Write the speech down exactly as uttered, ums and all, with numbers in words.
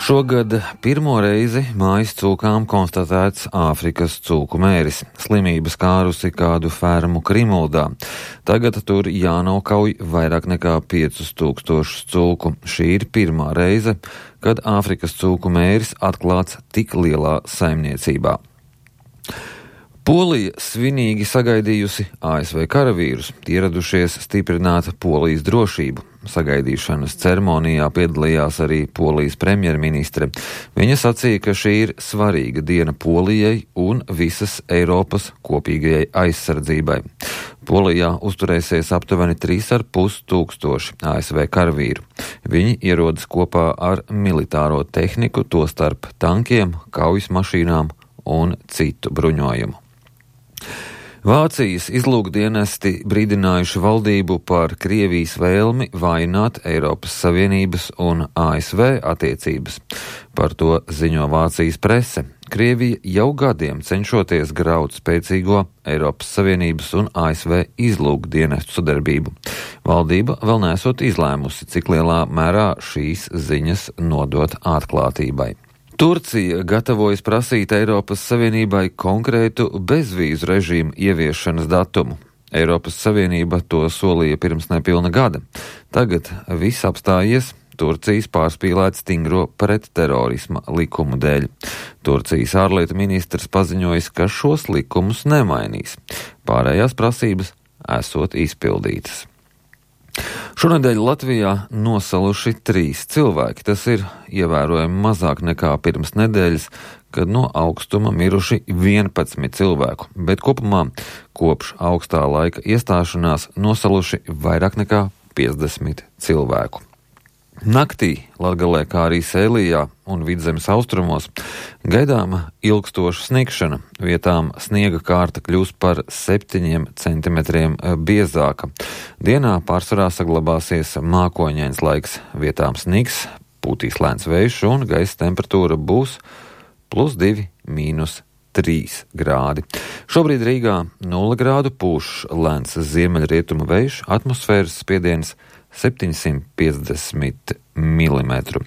Šogad pirmo reizi mājas cūkām konstatēts Āfrikas cūku mēris. Slimība skārusi kādu fermu Krimuldā. Tagad tur jānokauj vairāk nekā piecus tūkstošus cūku. Šī ir pirmā reize, kad Āfrikas cūku mēris atklāts tik lielā saimniecībā. Polija svinīgi sagaidījusi A S V karavīrus, ieradušies stiprināt Polijas drošību. Sagaidīšanas ceremonijā piedalījās arī Polijas premjerministre. Viņa sacīja, ka šī ir svarīga diena Polijai un visas Eiropas kopīgajai aizsardzībai. Polijā uzturēsies aptuveni trīs ar pus tūkstoši A S V karavīru. Viņi ierodas kopā ar militāro tehniku, tostarp tankiem, kaujas mašīnām un citu bruņojumu. Vācijas izlūkdienesti brīdinājuši valdību par Krievijas vēlmi vājināt Eiropas Savienības un A S V attiecības. Par to ziņo Vācijas prese. Krievija jau gadiem cenšoties graut spēcīgo Eiropas Savienības un A S V izlūkdienestu sadarbību. Valdība vēl nesot izlēmusi, cik lielā mērā šīs ziņas nodot atklātībai. Turcija gatavojas prasīt Eiropas Savienībai konkrētu bezvīzu režīmu ieviešanas datumu. Eiropas Savienība to solīja pirms nepilna gada. Tagad viss apstājies Turcijas pārspīlēt stingro pretterorisma likumu dēļ. Turcijas ārlietu ministrs paziņojis, ka šos likumus nemainīs. Pārējās prasības esot izpildītas. Šonedēļ Latvijā nosaluši trīs cilvēki. Tas ir ievērojami mazāk nekā pirms nedēļas, kad no augstuma miruši vienpadsmit cilvēku, bet kopumā kopš augstā laika iestāšanās nosaluši vairāk nekā piecdesmit cilvēku. Naktī Latgalē, kā arī Sēlijā un Vidzemes austrumos, gaidāma ilgstoša sniegšana. Vietām sniega kārta kļūs par septiņiem centimetriem biezāka. Dienā pārsvarā saglabāsies mākoņains laiks. Vietām snigs, pūtīs lēns vējš un gaisa temperatūra būs plus divi, mīnus trīs grādi. Šobrīd Rīgā nulle grādu pūš lēns ziemeļrietumu vējš, atmosfēras spiediens septiņsimt piecdesmit milimetru.